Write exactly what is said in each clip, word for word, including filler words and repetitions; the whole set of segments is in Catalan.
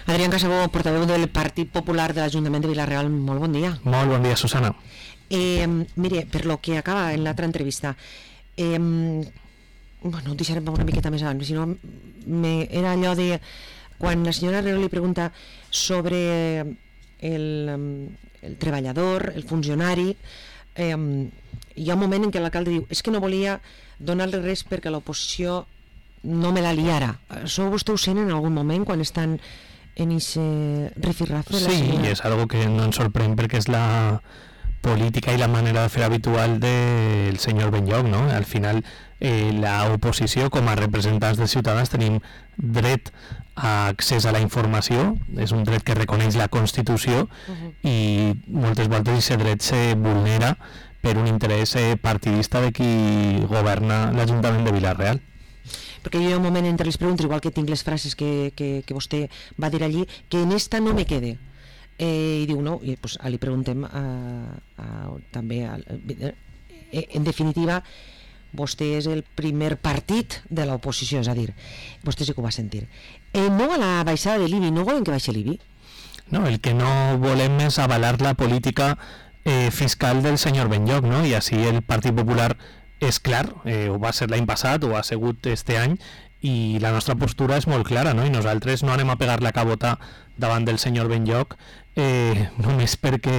Adrián Casabó, portaveu del Partit Popular de l'Ajuntament de Vila-real, molt bon dia. Molt bon dia, Susana. Eh, mire, per lo que acaba en l'altra entrevista, eh, bueno, ho deixarem una miqueta més abans, si no, me, era allò de quan la senyora Herrero li pregunta sobre el, el treballador, el funcionari, eh, hi ha un moment en què l'alcalde diu és que no volia donar-li res perquè l'oposició no me la liara. Això vostè ho sent en algun moment quan estan en ese rifirrafe? Sí, i és algo que no ens sorprèn perquè és la política i la manera de fer habitual del senyor Benlloch, no? Al final, eh, la oposició, com a representants dels ciutadans, tenim dret a accés a la informació, és un dret que reconeix la Constitució, uh-huh. i moltes voltes aquest dret se vulnera per un interès eh, partidista de qui governa l'Ajuntament de Vila-real. Perquè hi ha un moment entre les preguntes, igual que tinc les frases que, que, que vostè va dir allí, que en esta no me quede. Eh, I diu no, i pues, li preguntem a, a, també a, a, en definitiva vostè és el primer partit de l'oposició, és a dir, vostè sí que ho va sentir. Eh, no a la baixada de l'I B I, no volen que baixi l'I B I? No, el que no volem és avalar la política eh, fiscal del senyor Benlloch, no? I així el Partit Popular és clar, eh, ho va ser l'any passat, ho ha sigut este any, i la nostra postura és molt clara, no? I nosaltres no anem a pegar la cabota davant del senyor Benlloch eh, només perquè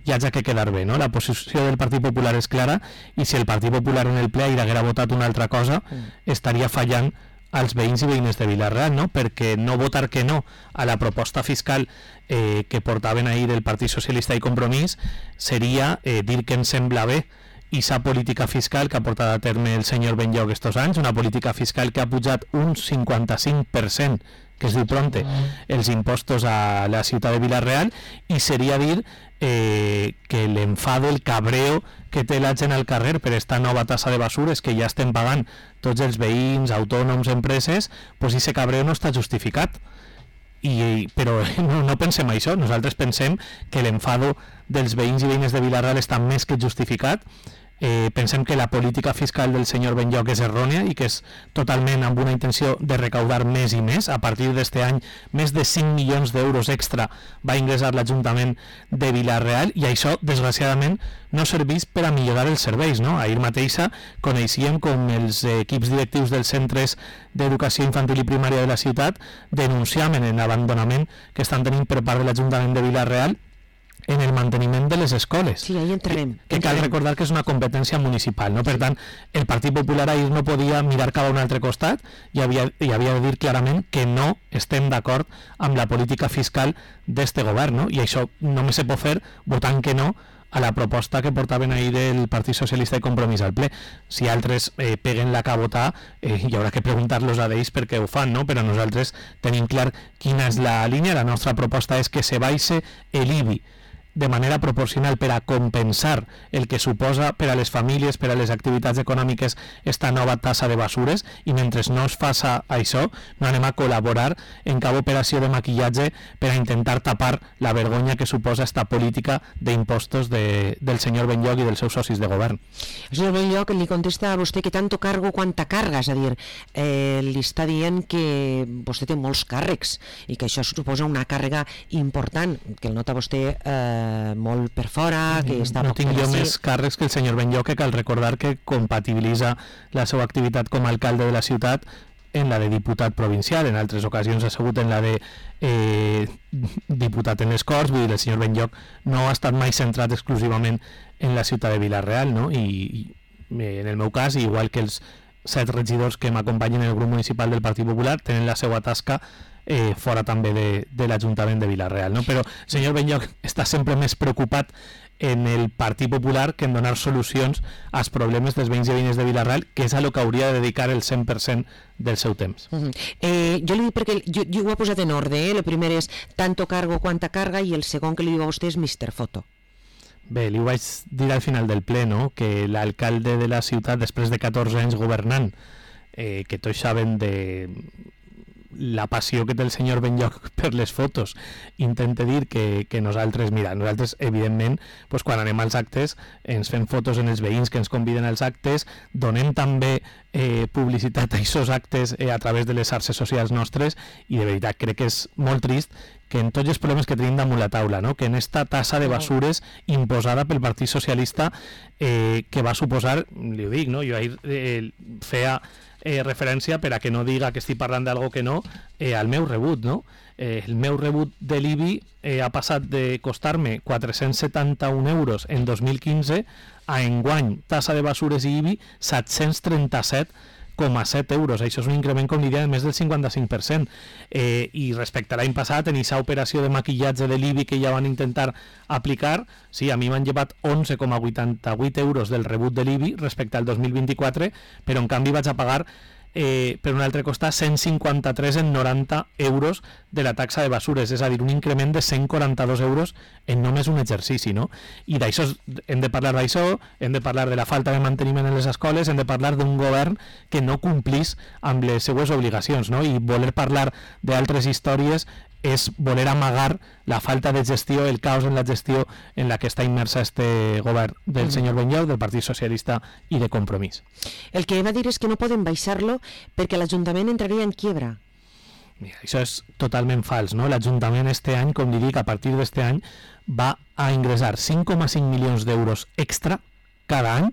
hi hagi que quedar bé, no? La posició del Partit Popular és clara, i si el Partit Popular en el ple haguera votat una altra cosa, mm. estaria fallant als veïns i veïnes de Vila-real, no? Perquè no votar que no a la proposta fiscal eh, que portaven ahir el Partit Socialista i Compromís seria eh, dir que ens sembla bé i sa política fiscal que ha portat a terme el senyor Benlloch estos anys, una política fiscal que ha pujat un cinquanta-cinc per cent, que es diu prompte, els impostos a la ciutat de Vila-real, i seria dir eh, que l'enfado, el cabreo que té la gent al carrer per esta nova tassa de basures que ja estem pagant tots els veïns, autònoms, empreses, pues ese cabreo no està justificat. I, però no, no pensem això, nosaltres pensem que l'enfado dels veïns i veïnes de Vila-real està més que justificat. Eh, pensem que la política fiscal del senyor Benlloch és errònia i que és totalment amb una intenció de recaudar més i més. A partir d'este any, més de cinc milions d'euros extra va ingressar l'Ajuntament de Vila-real, i això, desgraciadament, no serveix per a millorar els serveis, no? Ahir mateixa coneixíem com els equips directius dels centres d'educació infantil i primària de la ciutat denunciaven l'abandonament que estan tenint per part de l'Ajuntament de Vila-real en el manteniment de les escoles. Sí, ahí entrarem. Que, que cal recordar que és una competència municipal, no? Per tant, el Partit Popular ahir no podia mirar cap a un altre costat i havia, i havia de dir clarament que no estem d'acord amb la política fiscal d'este govern, no? I això només se pot fer votant que no a la proposta que portaven ahir el Partit Socialista i Compromís al ple. Si altres eh, peguen la cabota, eh, hi haurà que preguntar-los a ells per què ho fan, no? Però nosaltres tenim clar quina és la línia. La nostra proposta és que se baixe l'I B I de manera proporcional per a compensar el que suposa per a les famílies, per a les activitats econòmiques, esta nova tassa de basures, i mentre no es faça això, no anem a col·laborar en cap operació de maquillatge per a intentar tapar la vergonya que suposa esta política d'impostos de, del senyor Benlloch i dels seus socis de govern. El senyor Benlloch li contesta a vostè que tanto cargo quanta carga, és a dir, eh, li està dient que vostè té molts càrrecs i que això suposa una càrrega important, que el nota vostè eh, molt per fora, que està no poc tinc jo per més càrrecs que el senyor Benlloch, que cal recordar que compatibilitza la seva activitat com a alcalde de la ciutat en la de diputat provincial, en altres ocasions ha sigut en la de eh, diputat en les Corts. Vull dir, el senyor Benlloch no ha estat mai centrat exclusivament en la ciutat de Vila-real, no? I, i en el meu cas, igual que els set regidors que m'acompanyen en el grup municipal del Partit Popular, tenen la seva tasca Eh, fora també de, de l'Ajuntament de Vila-real, no? Però el senyor Benlloch està sempre més preocupat en el Partit Popular que en donar solucions als problemes dels veïns i veïnes de Vila-real, que és a lo que hauria de dedicar el cent per cent del seu temps. Uh-huh. eh, jo li dic perquè jo, jo ho he posat en ordre, eh? El primer és tanto cargo quanta carga, i el segon que li diu a vostè és mister Foto. Bé, li ho vaig dir al final del ple, no? Que l'alcalde de la ciutat, després de catorze anys governant, eh, que tots saben de la passió que té el senyor Benlloc per les fotos intenta dir que, que nosaltres, mira, nosaltres evidentment pues, quan anem als actes ens fem fotos en els veïns que ens conviden als actes, donem també eh, publicitat a aquests actes eh, a través de les xarxes socials nostres, i de veritat crec que és molt trist que en tots els problemes que tenim damunt la taula, no? Que en esta tassa de basures imposada pel Partit Socialista eh, que va suposar, li ho dic, no? Jo ahir eh, feia eh, referència, per a que no diga que estic parlant d'algo que no, eh, al meu rebut, no? Eh, el meu rebut de l'I B I eh, ha passat de costar-me quatre-cents setanta-un euros en dos mil quinze a enguany, tassa de basures i I B I, set-cents trenta-set coma set euros. Això és un increment, com diria, de més del cinquanta-cinc per cent. Eh, I respecte a l'any passat, en aquesta operació de maquillatge de l'I B I que ja van intentar aplicar, sí, a mi m'han llevat onze coma vuitanta-vuit euros del rebut de l'I B I respecte al dos mil vint-i-quatre, però en canvi vaig a pagar Eh, per un altre costat cent cinquanta-tres en noranta euros de la taxa de basures, és a dir, un increment de cent quaranta-dos euros en només un exercici, no? I d'això hem de parlar d'això, hem de parlar de la falta de manteniment en les escoles, hem de parlar d'un govern que no complís amb les seues obligacions, no? I voler parlar d'altres històries és voler amagar la falta de gestió, el caos en la gestió en la que està immersa este govern del senyor Benlloc, del Partit Socialista i de Compromís. El que va dir és que no poden baixar-lo perquè l'Ajuntament entraria en quiebra. Mira, això és totalment fals, no? L'Ajuntament este any, com li dic, a partir d'este any va a ingressar cinc coma cinc milions d'euros extra cada any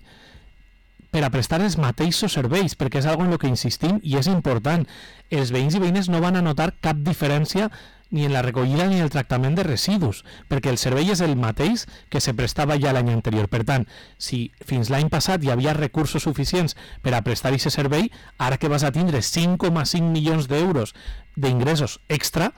per a prestar els mateixos serveis, perquè és algo en el que insistim i és important. Els veïns i veïnes no van a notar cap diferència ni en la recollida ni en el tractament de residus, perquè el servei és el mateix que se prestava ja l'any anterior. Per tant, si fins l'any passat hi havia recursos suficients per a prestar aquest servei, ara que vas a tindre cinc coma cinc milions d'euros d'ingressos extra,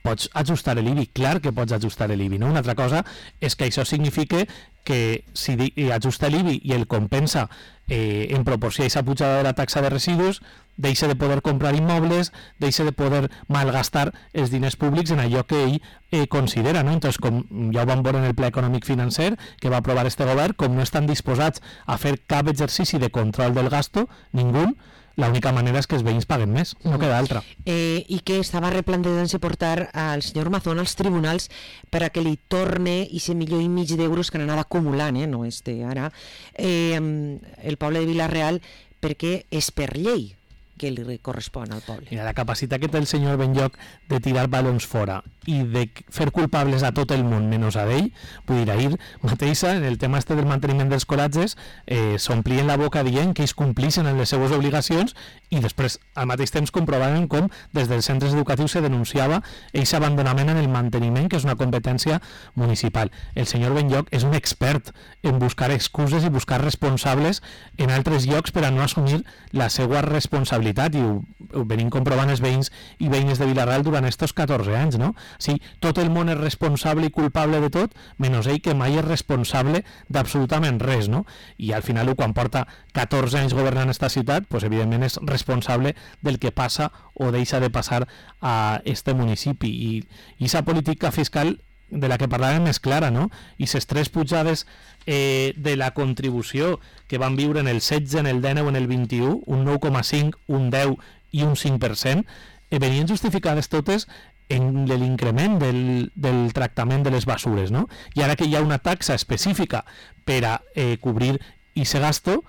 pots ajustar l'I B I, clar que pots ajustar l'I B I, no? Una altra cosa és que això significa que si ajusta l'I B I i el compensa eh, en proporció a aquesta pujada de la taxa de residus, deixa de poder comprar immobles, deixa de poder malgastar els diners públics en allò que ell eh, considera, no? Entonces, com ja ho vam veure en el Ple Econòmic Financer que va aprovar este govern, com no estan disposats a fer cap exercici de control del gasto, ningú, l'única manera és que els veïns paguen més, no queda altra. Eh, I que estava replantejant-se portar al senyor Mazón als tribunals per a que li torne i se milió i mig d'euros que n'anava acumulant, eh, no este ara, eh, el poble de Vila-real, perquè és per llei que li correspon al poble. Mira, la capacitat que té el senyor Benlloc de tirar balons fora i de fer culpables a tot el món menys a ell, vull dir, ahir mateixa, en el tema este del manteniment dels colatges, eh, s'omplien la boca dient que ells complixen en les seues obligacions i després, al mateix temps, comprovaven com des dels centres educatius se denunciava aquest abandonament en el manteniment, que és una competència municipal. El senyor Benlloc és un expert en buscar excuses i buscar responsables en altres llocs per a no assumir la seva responsabilitat, i ho, ho venim comprovant els veïns i veïnes de Vila-real durant estos catorze anys, no? Sí, tot el món és responsable i culpable de tot, menys ell que mai és responsable d'absolutament res, no? I al final, quan porta catorze anys governant esta ciutat, pues, evidentment és responsable del que passa o deixa de passar a este municipi. I aquesta política fiscal de la que parlàvem és clara, no? I les tres pujades eh, de la contribució que van viure en el setze, en el dinou, en el vint-i-u, un nou coma cinc, un deu i un cinc per cent, eh, venien justificades totes en l'increment del, del tractament de les basures, no? I ara que hi ha una taxa específica per a eh, cobrir aquest gasto,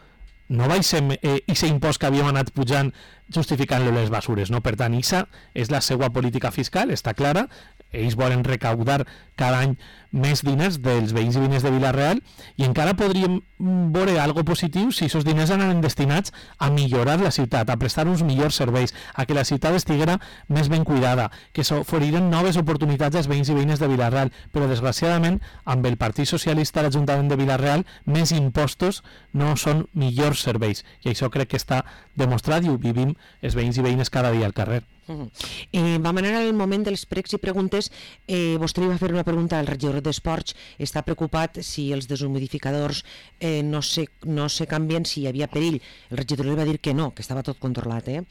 no baixem eh, aquest impost que havíem anat pujant justificant-lo les basures, no? Per tant, aquesta és la seva política fiscal, està clara, ells volen recaudar cada any més diners dels veïns i veïnes de Vila-real i encara podríem veure algo positiu si aquests diners anaven destinats a millorar la ciutat, a prestar uns millors serveis, a que la ciutat estiguera més ben cuidada, que s'oferiren noves oportunitats als veïns i veïnes de Vila-real, però desgraciadament amb el Partit Socialista a l'Ajuntament de Vila-real més impostos no són millors serveis, i això crec que està demostrat i ho vivim els veïns i veïnes cada dia al carrer. Uh-huh. Eh, vam anar al moment dels pregs i preguntes. eh, vostè li va fer una pregunta al regidor d'Esports. Està preocupat si els deshumidificadors eh, no, se, no se canvien, si hi havia perill. El regidor li va dir que no, que estava tot controlat, eh?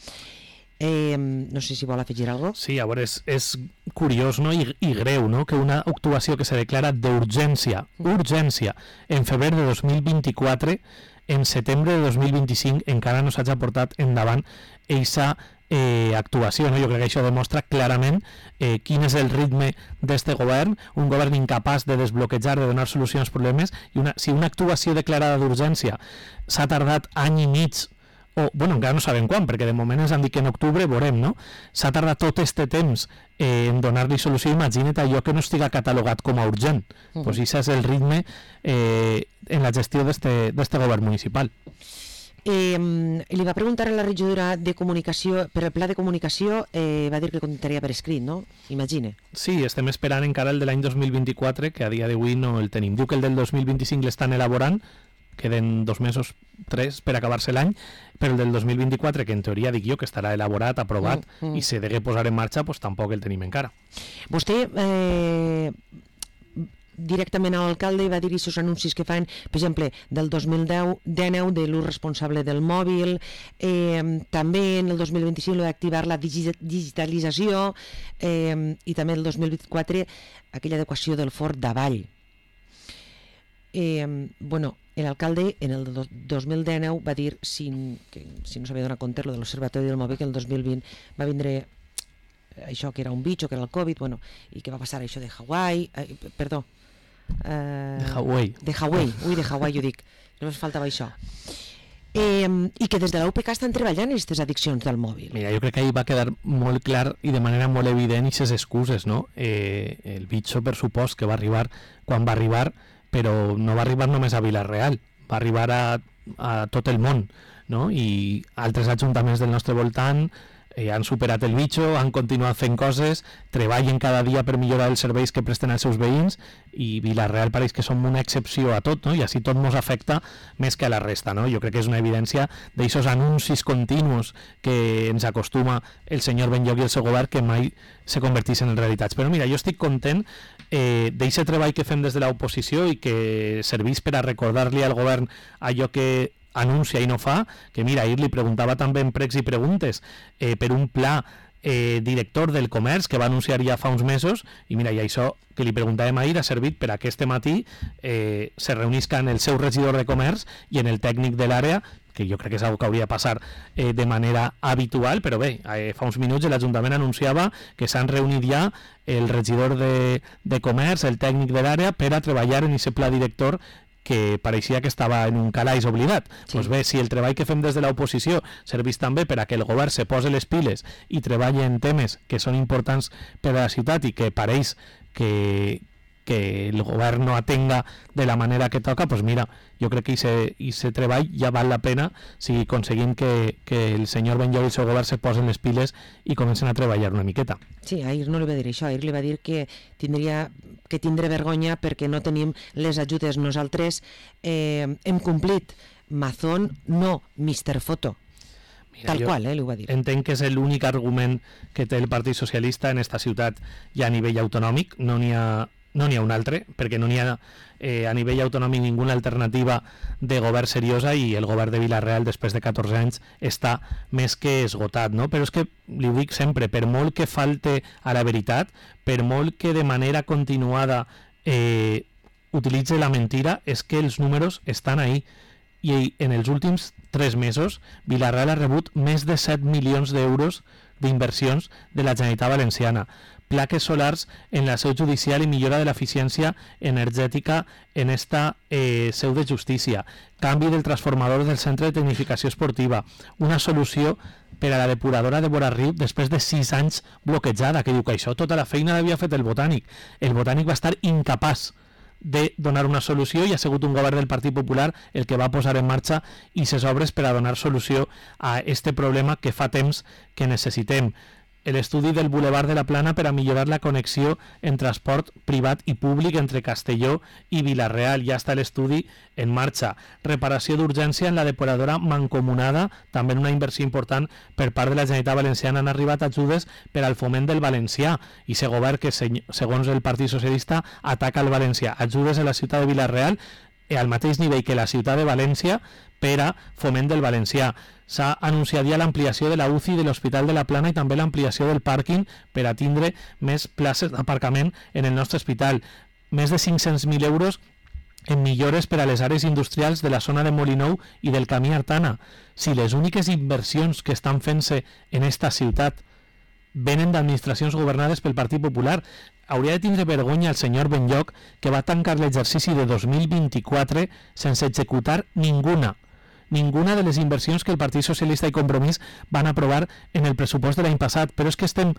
Eh, no sé si vol afegir alguna cosa. Sí, a veure, és, és curiós, no? I, i greu, no? Que una actuació que se declara d'urgència, urgència, en febrer de dos mil vint-i-quatre, en setembre de dos mil vint-i-cinc encara no s'hagi portat endavant eixa eh, actuació, no? Jo crec que això demostra clarament eh, quin és el ritme d'este govern, un govern incapaç de desbloquejar, de donar solució als problemes, i una, si una actuació declarada d'urgència s'ha tardat any i mig, o, bueno, encara no sabem quan, perquè de moment ens han dit que en octubre veurem, no? S'ha tardat tot este temps eh, en donar-li solució, imagina't allò que no estiga catalogat com a urgent. Uh -huh. Pues això és el ritme eh, en la gestió d'este govern municipal. Eh, li va preguntar a la regidora de comunicació, per el pla de comunicació, eh, va dir que contestaria per escrit, no? Imagine. Sí, estem esperant encara el de l'any dos mil vint-i-quatre, que a dia d'avui no el tenim. Diu que el del dos mil vint-i-cinc l'estan elaborant, queden dos mesos, tres, per acabar-se l'any, però el del dos mil vint-i-quatre, que en teoria dic jo que estarà elaborat, aprovat, mm, mm. i se degué posar en marxa, pues tampoc el tenim encara. Vostè eh, directament a l'alcalde va dir aquests anuncis que fan, per exemple, del dos mil deu, dinou de l'ús responsable del mòbil, eh, també en el dos mil vint-i-cinc d'activar la digitalització, eh, i també el dos mil vint-i-quatre aquella adequació del fort d'Avall. Eh, bueno, l'alcalde en el dos mil dinou va dir, si, que, si no s'havia donat compte, lo de l'Observatori del Mòbil, que el dos mil vint va vindre això que era un bitxo, que era el Covid, bueno, i que va passar això de Hawaii, eh, perdó, eh, de Hawaii. De Hawaii, ui, de Hawaii jo dic, només faltava això. Eh, I que des de la U P C estan treballant aquestes addiccions del mòbil. Mira, jo crec que ahí va quedar molt clar i de manera molt evident aquestes excuses, no? Eh, el bitxo, per supost, que va arribar quan va arribar, però no va arribar només a Vila-real, va arribar a, a tot el món, no? I altres ajuntaments del nostre voltant eh, han superat el bitxo, han continuat fent coses, treballen cada dia per millorar els serveis que presten als seus veïns, i Vila-real pareix que som una excepció a tot, no? I així tot ens afecta més que a la resta, no? Jo crec que és una evidència d'aixòs anuncis continus que ens acostuma el senyor Benlloch i el seu govern, que mai se converteixen en realitats. Però mira, jo estic content eh, d'aquest treball que fem des de l'oposició i que serveix per a recordar-li al govern allò que anuncia i no fa, que mira, ahir li preguntava també en pregs i preguntes eh, per un pla eh, director del comerç que va anunciar ja fa uns mesos, i mira, i això que li preguntàvem ahir ha servit per a que este matí eh, se reunisca en el seu regidor de comerç i en el tècnic de l'àrea, que jo crec que és una cosa que hauria de passar eh, de manera habitual, però bé, eh, fa uns minuts l'Ajuntament anunciava que s'han reunit ja el regidor de, de comerç, el tècnic de l'àrea, per a treballar en aquest pla director que pareixia que estava en un calaix oblidat. Sí. Pues bé, si el treball que fem des de l'oposició serveix també per a que el govern se posi les piles i treballi en temes que són importants per a la ciutat i que pareix que, que el govern no atenga de la manera que toca, pues mira, jo crec que aquest treball ja val la pena si aconseguim que, que el senyor Benlloch i el seu govern se posen les piles i comencen a treballar una miqueta. Sí, ahir no li va dir això, ahir li va dir que tindria que tindre vergonya perquè no tenim les ajudes. Nosaltres eh, hem complit. Mazón no, mister Foto. Mira, tal qual, eh, li ho va dir. Entenc que és l'únic argument que té el Partit Socialista en esta ciutat i a nivell autonòmic. No n'hi ha, no n'hi ha un altre, perquè no n'hi ha eh, a nivell autonòmic ninguna alternativa de govern seriosa, i el govern de Vila-real després de catorze anys està més que esgotat, no? Però és que, li ho dic sempre, per molt que falte a la veritat, per molt que de manera continuada eh, utilitze la mentira, és que els números estan ahí, i en els últims tres mesos Vila-real ha rebut més de set milions d'euros d'inversions de la Generalitat Valenciana, plaques solars en la seu judicial i millora de l'eficiència energètica en esta eh, seu de justícia, canvi del transformador del centre de tecnificació esportiva, una solució per a la depuradora de Borarriu després de sis anys bloquejada, que diu que això tota la feina l'havia fet el Botànic. El Botànic va estar incapaç de donar una solució i ha sigut un govern del Partit Popular el que va posar en marxa aquestes obres per a donar solució a este problema que fa temps que necessitem. L'estudi del Boulevard de la Plana per a millorar la connexió en transport privat i públic entre Castelló i Vila-real. Ja està l'estudi en marxa. Reparació d'urgència en la depuradora mancomunada, també en una inversió important per part de la Generalitat Valenciana. Han arribat ajudes per al foment del valencià, i se govern que, segons el Partit Socialista, ataca el valencià. Ajudes a la ciutat de Vila-real al mateix nivell que la ciutat de València per a foment del valencià. S'ha anunciat ja l'ampliació de la U C I de l'Hospital de la Plana i també l'ampliació del pàrquing per a tindre més places d'aparcament en el nostre hospital. Més de cinc-cents mil euros en millores per a les àrees industrials de la zona de Molinou i del Camí Artana. Si les úniques inversions que estan fent-se en esta ciutat venen d'administracions governades pel Partit Popular, hauria de tindre vergonya el senyor Benlloch, que va tancar l'exercici de dos mil vint-i-quatre sense executar ninguna ninguna de les inversions que el Partit Socialista i Compromís van aprovar en el pressupost de l'any passat, però és que estem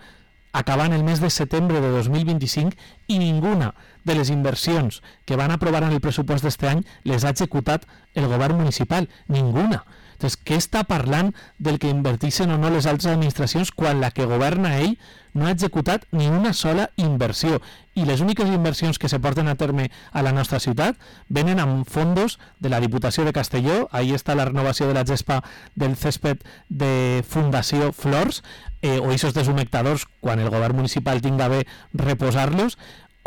acabant el mes de setembre de dos mil vint-i-cinc i ninguna de les inversions que van aprovar en el pressupost d'este any les ha executat el govern municipal, ninguna. Entonces, què està parlant del que invertixen o no les altres administracions quan la que governa ell no ha executat ni una sola inversió? I les úniques inversions que se porten a terme a la nostra ciutat venen amb fondos de la Diputació de Castelló, ahí està la renovació de la gespa del césped de Fundació Flors, eh, o eixos deshumectadors quan el govern municipal tinga bé reposar-los,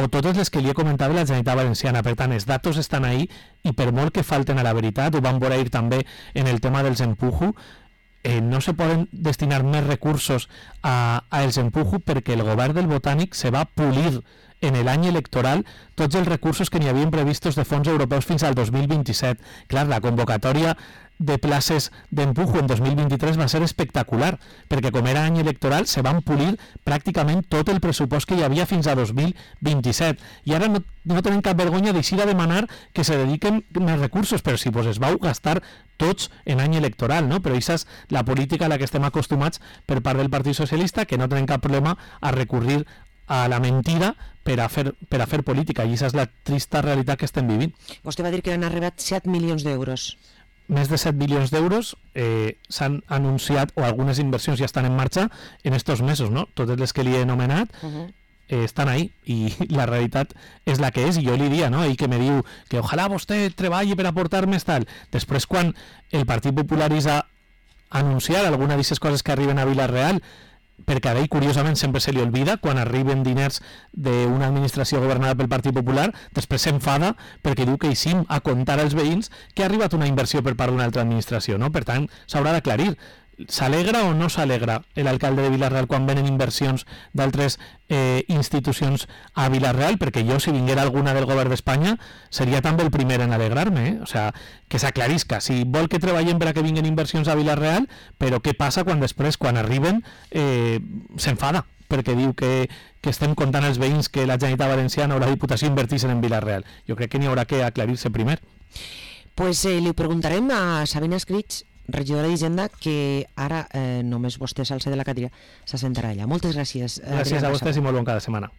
o totes les que li he comentat de la Generalitat Valenciana. Per tant, els datos estan ahí i per molt que falten a la veritat, ho vam veure ahir també en el tema dels empujo, eh, no se poden destinar més recursos a, a els empujo perquè el govern del Botànic se va polir en l'any electoral tots els recursos que n'hi havien previstos de fons europeus fins al dos mil vint-i-set. Clar, la convocatòria de places d'empujo en dos mil vint-i-tres va ser espectacular, perquè com era any electoral se van polir pràcticament tot el pressupost que hi havia fins a dos mil vint-i-set, i ara no, no tenen cap vergonya d'eixir a demanar que se dediquen més recursos, però si pues, es vau gastar tots en any electoral, no? Però això és la política a la que estem acostumats per part del Partit Socialista, que no tenen cap problema a recurrir a la mentida per a fer, per a fer política, i aquesta és la trista realitat que estem vivint. Vostè va dir que han arribat set milions d'euros. Més de set milions d'euros eh, s'han anunciat, o algunes inversions ja estan en marxa en estos mesos, no? Totes les que li he anomenat uh -huh. eh, estan ahí, i la realitat és la que és, i jo li diria, no? Ell que me diu que ojalà vostè treballi per aportar més tal. Després, quan el Partit Popular és a anunciar alguna d'aquestes coses que arriben a Vila-real, perquè a ell, curiosament, sempre se li olvida quan arriben diners d'una administració governada pel Partit Popular, després s'enfada perquè diu que eixim a contar als veïns que ha arribat una inversió per part d'una altra administració, no? Per tant, s'haurà d'aclarir. S'alegra o no s'alegra l'alcalde de Vila-real quan venen inversions d'altres eh, institucions a Vila-real? Perquè jo, si vinguera alguna del govern d'Espanya, seria també el primer en alegrar-me, eh? O sea, que s'aclarisca. Si vol que treballem per a que vinguen inversions a Vila-real, però què passa quan després, quan arriben, eh, s'enfada? Perquè diu que, que estem contant als veïns que la Generalitat Valenciana o la Diputació invertixen en Vila-real. Jo crec que n'hi haurà que aclarir-se primer. Pues eh, li preguntarem a Sabina Escrits, regidora d'Hisenda, que ara eh, només vostè s'alça de la cadira, s'assentarà allà. Moltes gràcies. Gràcies a vostès i molt bon cada setmana.